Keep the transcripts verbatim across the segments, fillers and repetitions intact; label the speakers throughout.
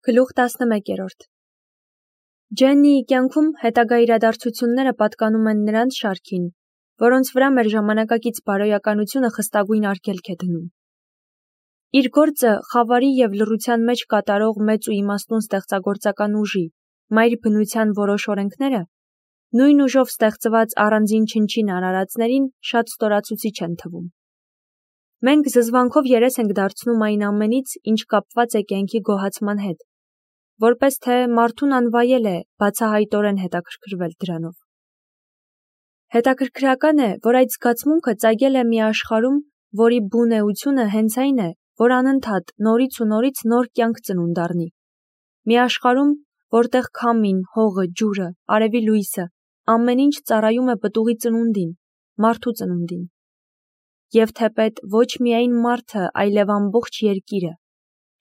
Speaker 1: Գլուխ տասնմեկերորդ Ջեննիի կյանքում հետագա իրադարձությունները պատկանում են նրանց շարքին, որոնց վրա մեր ժամանակակից բարոյականությունը խստագույն արգելք է դնում։ Իր գործը խավարի և լռության մեջ կատարող մեծ ու իմաստուն ստեղծագործական ուժի, մայր բնության որոշ օրենքները, նույն ուժով ստեղծված առանձին չնչին արարածներին շատ ստորացուցիչ են թվում։ Մենք զզվանքով երես ենք դարձնում այն ամենից, ինչ կապված է կյանքի գոհացման հետ, որպես թե մարդուն անվայել է բացահայտորեն հետաքրքրվել դրանով։ Հետաքրքրական է, որ այդ զգացմունքը ծագել է մի աշխարհում, որի բուն էությունը հենց այն է, որ անընդհատ նորից ու նորից նոր կյանք ծնունդ առնի։ Մի աշխարհում, որտեղ քամին, հողը, ջուրը, արևի լույսը, ամեն ինչ ծառայում է պտուղի ծնունդին, մարդու ծնունդին։ Եվ թեպետ ոչ միայն մարդը, այլև ամբողջ երկիրը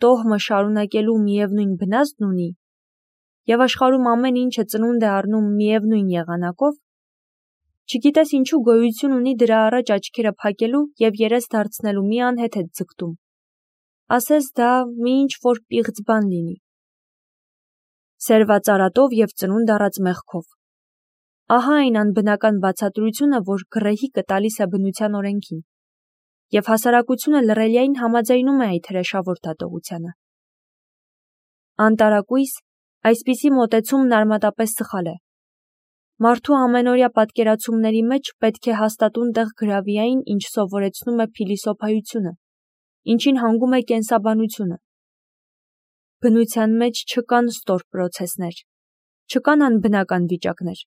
Speaker 1: տոհմը շարունակելու միևնույն բնազդն ունի, և աշխարհում ամեն ինչը ծնունդ է առնում միևնույն եղանակով, չգիտես ինչու գոյություն ունի դրա առաջ աչքերը փակելու և երես դարձնելու մի անհեթեթ ձգտում, ասես դա մի ինչ-որ պիղծ բան լինի։ Սերված արատով և ծնունդ առած մեղքով։ Ահա այն անբնական բացատրությունը, որ գռեհիկը տալիս է բնության օրենքին, և հասարակությունը լռելիայն համաձայնում է այդ հրեշավոր դատողությանը։ Անտարակույս, այսպիսի մոտեցումն արմատապես սխալ է։ Մարդու ամենօրյա պատկերացումների մեջ պետք է հաստատուն տեղ գրավի այն, ինչ սովորեցնում է փիլիսոփայությունը, ինչին հանգում է կենսաբանությունը։ Բնության մեջ չկան ստոր պրոցեսներ, չկան անբնական վիճակներ։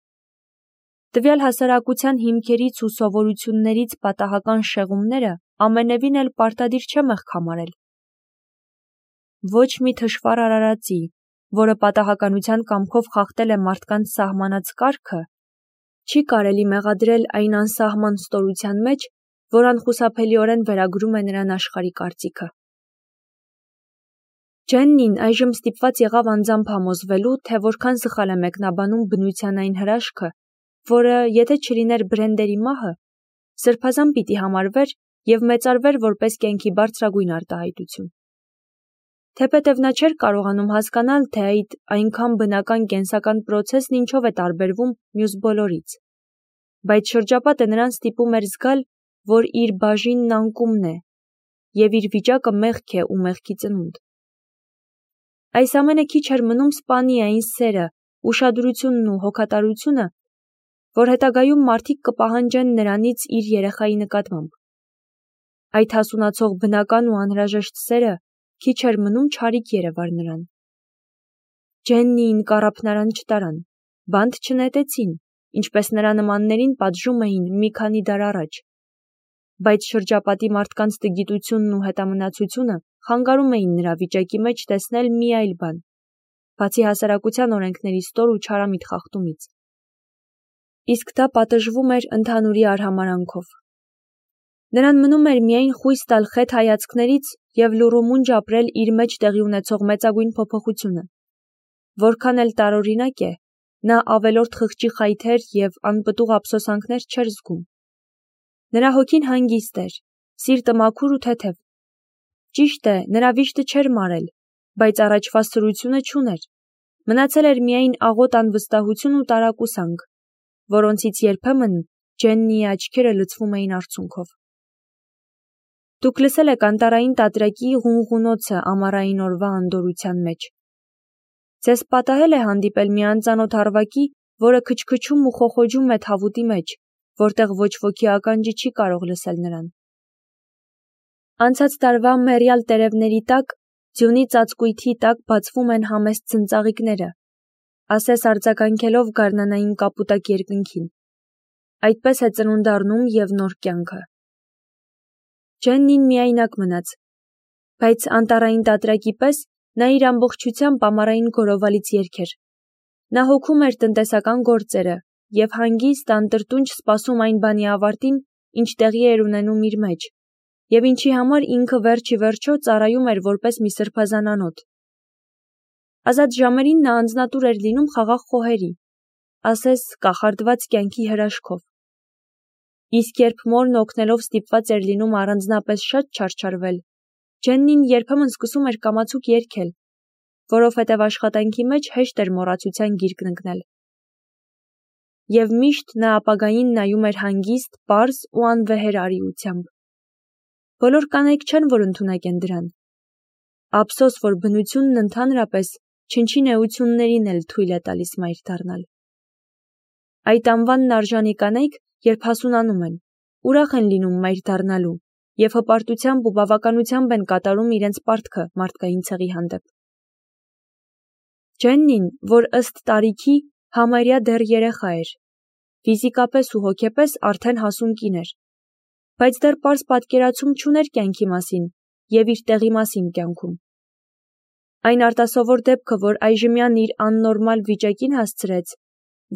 Speaker 1: Տվյալ հասարակության հիմքերից ու սովորություններից պատահական շեղումները ամենևին էլ պարտադիր չէ մեղք համարել։ Ոչ մի թշվառ արարածի, որը պատահականության կամքով խախտել է մարդկանց սահմանած կարգը, չի կարելի մեղադրել այն անսահման ստորության մեջ, որ անխուսափելիորեն վերագրում է նրան աշխարհի կարծիքը։ Ջեննին այժմ ստիպված եղավ անձամբ համոզվելու, թե որքան սխալ է մեկնաբանում բնության այն հրաշքը, որը, եթե չլիներ Բրենդերի մահը, սրբազան պիտի համարվեր և մեծարվեր որպես կյանքի բարձրագույն արտահայտություն։ Թեպետև նա չէր կարողանում հասկանալ, թե այդ այնքան բնական կենսական պրոցեսն ինչով է տարբերվում մյուս բոլորից, բայց շրջապատը նրան ստիպում էր զգալ, որ իր բաժինն անկումն է, և իր վիճակը մեղք է ու մեղքի ծնունդ։ Այս ամենը քիչ էր մնում սպանի այն սերը, ուշադրությունն ու հոգատարությունը, որ հետագայում մարդիկ կպահանջեն նրանից իր երեխայի նկատմամբ։ Այդ հասունացող բնական ու անհրաժեշտ սերը քիչ էր մնում չարիք երևար նրան։ Ջեննիին կառափնարան չտարան, բանտ չնետեցին, ինչպես նրա նմաններին պատժում էին մի քանի դար առաջ, բայց շրջապատի մարդկանց տգիտությունն ու հետամնացությունը խանգարում էին նրա վիճակի մեջ տեսնել մի այլ բան, բացի հասարակության օրենքների ստոր ու չարամիտ խախտումից։ Իսկ դա պատժվում էր ընդհանուրի արհամարհանքով։ Նրան մնում էր միայն խույս տալ խեթ հայացքներից և լուռումունջ ապրել իր մեջ տեղի ունեցող մեծագույն փոփոխությունը։ Որքան էլ տարօրինակ է, նա ավելորդ խղճի խայթեր և անպտուղ ափսոսանքներ չէր զգում։ Նրա հոգին հանգիստ էր, սիրտը մաքուր ու թեթև։ Ճիշտ է, նրա վիշտը չէր մարել, բայց առաջվա սրությունը չուներ։ Մնացել էր միայն աղոտ անվստահություն ու տարակուսանք, որոնցից երբեմն Ջեննիի աչքերը լցվում էին արցունքով։ Դուք լսել եք անտառային տատրակի ղունղունոցը ամառային օրվա անդորրության մեջ։ Ձեզ պատահել է հանդիպել մի անծանոթ առվակի, որը քչքչում ու խոխոջում է թավուտի մեջ, որտեղ ոչ ոքի ականջը չի կարող լսել նրան։ Անցած տարվա մեռյալ տերևների տակ, ձյունի ծածկույթի տակ բացվում են համեստ ձնծաղիկները, ասես արձագանքելով գարնանային կապուտակ երկնքին։ Այդպես է ծնունդ առնում և նոր կյանքը։ Ջեննին միայնակ մնաց, բայց անտառային տատրակի պես նա իր ամբողջությամբ ամառային գորովալից երգեր։ Նա հոգում էր տնտեսական գործերը և հանգիստ, անտրտունջ սպասում այն բանի ավարտին, ինչ տեղի էր ունենում իր մեջ, և ինչի համար ինքը վերջ ի վերջո ծառայում էր որպես մի սրբազան անոթ։ Ազատ ժամերին նա անձնատուր էր լինում խաղաղ խոհերի, ասես կախարդված կյանքի հրաշքով։ Իսկ երբ մորն օգնելով ստիպված էր լինում առանձնապես շատ չարչարվել, Ջեննին երբեմն սկսում էր կամացուկ երգել, որովհետև աշխատանքի մեջ հեշտ էր մոռացության գիրկն ընկնել։ Եվ միշտ նա ապագային նայում էր հանգիստ, պարզ ու անվեհեր արիությամբ։ Բոլոր կանայք չեն, որ ընդունակ են դրան։ Ափսոս, որ բնությունն ընդհանրապես չնչին էություններին էլ թույլ է տալիս մայր դառնալ։ Այդ անվանն արժանի կանայք, երբ հասունանում են, ուրախ են լինում մայր դառնալու և հպարտությամբ ու բավականությամբ են կատարում իրենց պարտքը մարդկային ցեղի հանդեպ։ Ջեննին, որ ըստ տարիքի համարյա դեռ երեխա էր, ֆիզիկապես ու հոգեպես արդեն հասուն կին էր, բայց դեռ պարզ պատկերացում չուներ կյանքի մասին և իր տեղի մասին կյանքում։ Այն արտասովոր դեպքը, որ այժմյան իր աննորմալ վիճակին հասցրեց,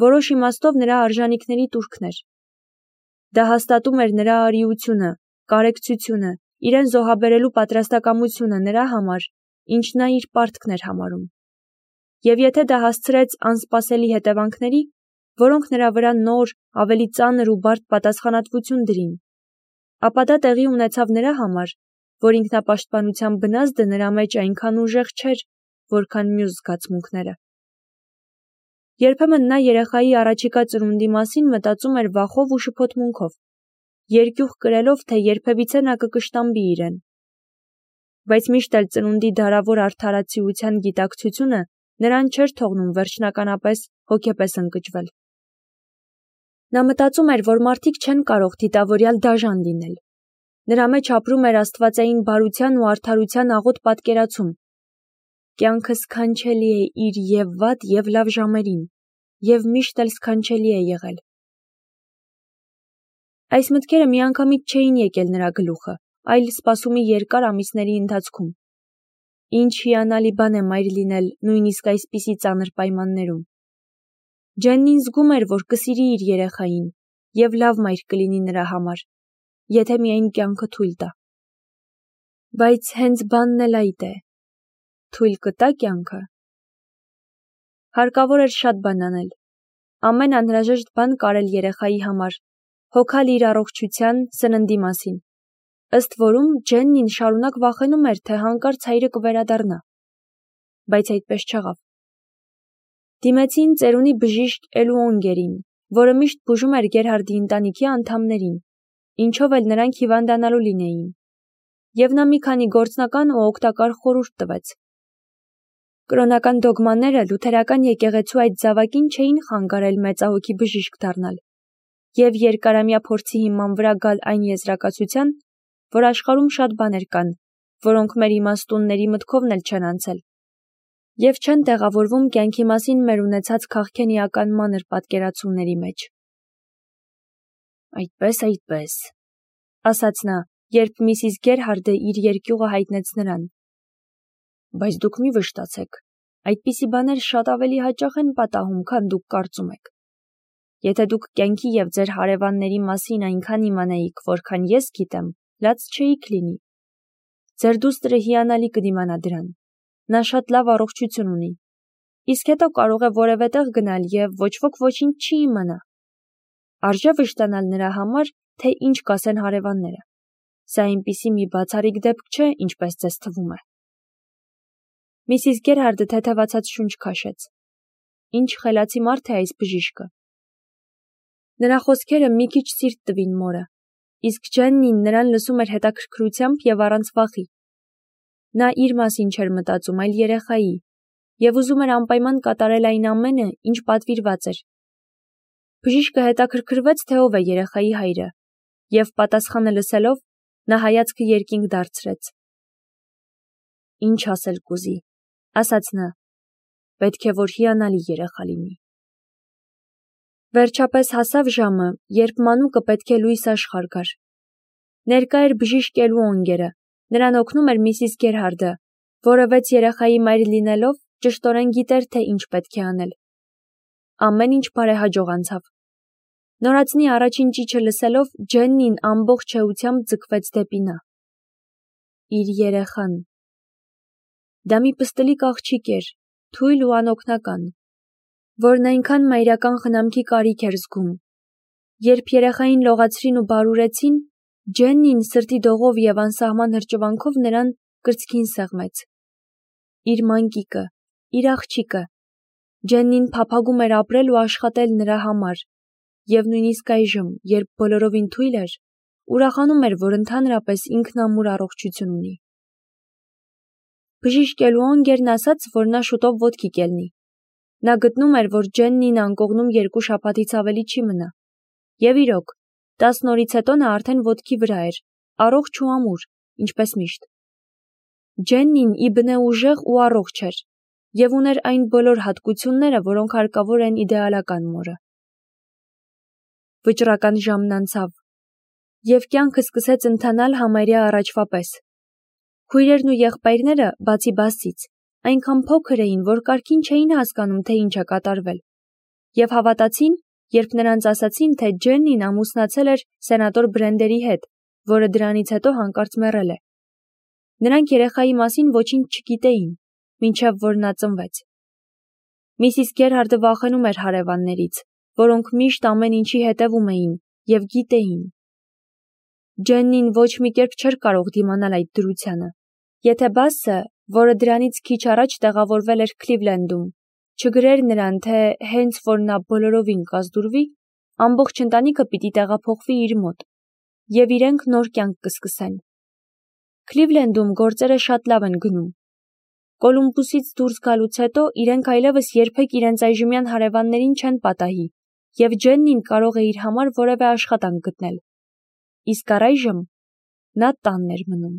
Speaker 1: որոշ իմաստով նրա արժանիքների տուրքն էր։ Դա հաստատում էր նրա արիությունը, կարեկցությունը, իրեն զոհաբերելու պատրաստակամությունը նրա համար, ինչ նա իր պարտքն էր համարում։ Եվ եթե դա հասցրեց անսպասելի հետևանքների, որոնք նրա վրա նոր, ավելի ծանր ու բարդ պատասխանատվություն դրին, ապա դա տեղի ունեցավ նրա համար, որ ինքնապաշտպանության բնազդը նրա մեջ այնքան ուժեղ չէր, որքան մյուս զգացմունքները։ Երբեմն նա երեխայի առաջիկա ծնունդի մասին մտածում էր վախով ու շփոթմունքով, երկյուղ կրելով, թե երբևիցե նա կկշտամբի իրեն։ Բայց միշտ էլ ծնունդի դարավոր արդարացիության գիտակցությունը նրան չէր թողնում վերջնականապես հոգեպես ընկճվել։ Նա մտածում էր, որ մարդիկ չեն կարող դիտավորյալ դաժան լինել։ Նրա մեջ ապրում էր աստվածային բարության ու արդարության աղոտ պատկերացում։ Կյանքը սքանչելի է իր և վատ, և լավ ժամերին, և միշտ էլ սքանչելի է եղել։ Այս մտքերը միանգամից չէին եկել նրա գլուխը, այլ սպասումի երկար ամիսների ընթացքում։ Ինչ հիանալի բան է մայր լինել նույնիսկ այսպիսի ծանր պայմաններում։ Ջեննին զգում էր, որ կսիրի իր երեխային, և լավ մայր կլինի նրա համար, եթե միայն կյանքը թույլ տա։ Բայց հենց բանն էլ այդ է. թույլ կտա կյանքը։ Հարկավոր էր շատ բան անել։ Ամեն անհրաժեշտ բան կարել երեխայի համար, հոգալ իր առողջության, սննդի մասին։ Ըստ որում Ջեննին շարունակ վախենում էր, թե հանկարծ հայրը կվերադառնա։ Բայց այդպես չեղավ։ Դիմեցին ծերունի բժիշկ Էլուոնգերին, որը միշտ բուժում էր Գերհարդի ընտանիքի անդամներին, ինչով էլ նրանք հիվանդանալու լինեին, և նա մի քանի գործնական ու օգտակար խորհուրդ տվեց։ Կրոնական դոգմաները լութերական եկեղեցու այդ զավակին չէին խանգարել մեծահոգի բժիշկ դառնալ և երկարամյա փորձի հիման վրա գալ այն եզրակացության, որ աշխարհում շատ բաներ կան, որոնք մեր իմաստունների մտքովն էլ չեն անցել, և չեն տեղավորվում կյանքի մասին մեր ունեցած քաղքենիական մանր պատկերացումների մեջ։ Այդպես, այդպես, ասաց նա, երբ միսիս Գերհարդը իր երկյուղը հայտնեց նրան։ Բայց դուք մի վշտացեք, այդպիսի բաներ շատ ավելի հաճախ են պատահում, քան դուք կարծում եք։ Եթե դուք կյանքի և ձեր հարևանների մասին այնքան իմանայիք, որքան ես գիտեմ, լաց չէիք լինի։ Ձեր դուստրը հիանալի կդիմանա դրան։ Նա շատ լավ առողջություն ունի։ Իսկ հետո կարող է որևէ տեղ գնալ և ոչ ոք ոչինչ չի իմանա։ Արժե վշտանալ նրա համար, թե ինչ կասեն հարևանները։ Սա այնպիսի մի բացառիկ դեպք չէ, ինչպես ձեզ թվում է։ Միսիս Գերհարդը թեթևացած շունչ քաշեց։ Ինչ խելացի մարդ է այս բժիշկը։ Նրա խոսքերը մի քիչ սիրտ տվին մորը, իսկ Ջեննին նրան լսում էր հետաքրքրությամբ և առանց վախի։ Նա իր մասին չէր մտածում, այլ երեխայի, և ուզում էր անպայման կատարել այն ամենը, ինչ պատվիրված էր։ Բժիշկը հետաքրքրվեց, թե ով է երեխայի հայրը, և պատասխանը լսելով, նա հայացքը երկինք դարձրեց։ Ինչ ասել կուզի, ասաց նա, պետք է որ հիանալի երեխա լինի։ Վերջապես հասավ ժամը, երբ մանուկը պետք է լույս աշխարհ գար։ Ներկա էր բժիշկ Էլուոնգերը, նրան օգնում էր միսիս Գերհարդը, որը վեց երեխայի մայր լինելով ճշտորեն գիտեր, թե ինչ պետք է անել։ Ամեն ինչ բարեհաջող անցավ։ Նորածնի առաջին ճիչը լսելով, Ջեննին ամբողջ էությամբ ձգվեց դեպի նա։ Իր երեխան։ Դա մի պստլիկ աղջիկ էր, թույլ ու անօգնական, որն այնքան մայրական խնամքի կարիք էր զգում։ Երբ երեխային լողացրին ու բարուրեցին, Ջեննին սրտի դողով և անսահման հրճվանքով նրան կրծքին սեղմեց։ Իր մանկիկը, իր աղջիկը։ Ջեննին փափագում էր ապրել ու աշխատել նրա համար, և նույնիսկ այժմ, երբ բոլորովին թույլ էր, ուրախանում էր, որ ընդհանրապես ինքն ամուր առողջություն ունի։ Բժիշկ Էլուանգերն ասաց, որ նա շուտով ոտքի կելնի։ Նա գտնում էր, որ Ջեննին անկողնում երկու շաբաթից ավելի չի մնա։ Եվ իրոք, տասն օրից հետո նա արդեն ոտքի վրա էր, առողջ ու ամուր, ինչպես միշտ։ Ջեննին իբնե ուժեղ ու առողջ էր, և ուներ այն բոլոր հատկությունները, որոնք հարկավոր են իդեալական մորը։ Վճռական ժամն անցավ, և կյանքը սկսեց ընթանալ համարյա առաջվա պես։ Քույրերն ու եղբայրները, բացի Բասից, այնքան փոքր էին, որ կարգին չէին հասկանում, թե ինչ է կատարվել, և հավատացին, երբ նրանց ասացին, թե Ջեննին ամուսնացել էր սենատոր Բրենդերի հետ, որը դրանից հետո հանկարծ մեռել է։ Նրանք երեխայի մասին ոչինչ չգիտեին, մինչև որ նա ծնվեց։ Միսիս Գերհարդը վախենում էր հարևաններից, որոնք միշտ ամեն ինչի հետևում էին և գիտեին։ Ջեննին ոչ մի կերպ չէր կարող դիմանալ այդ դրությանը։ Եթե Բասը, որը դրանից քիչ առաջ տեղավորվել էր Քլիվլենդում, չգրեր նրան, թե հենց որ նա բոլորովին կազդուրվի, ամբողջ ընտանիքը պիտի տեղափոխվի իր մոտ, և իրենք նոր կյանք կսկսեն։ Քլիվլենդում գործերը շատ լավ են գնում։ Կոլումբուսից դուրս գալուց հետո իրենք այլևս երբեք իրենց այժմյան հարևաններին չեն պատահի, և Ջեննին կարող է իր համար որևէ աշխատանք գտնել։ Իսկ առայժմ նա տանն էր մնում։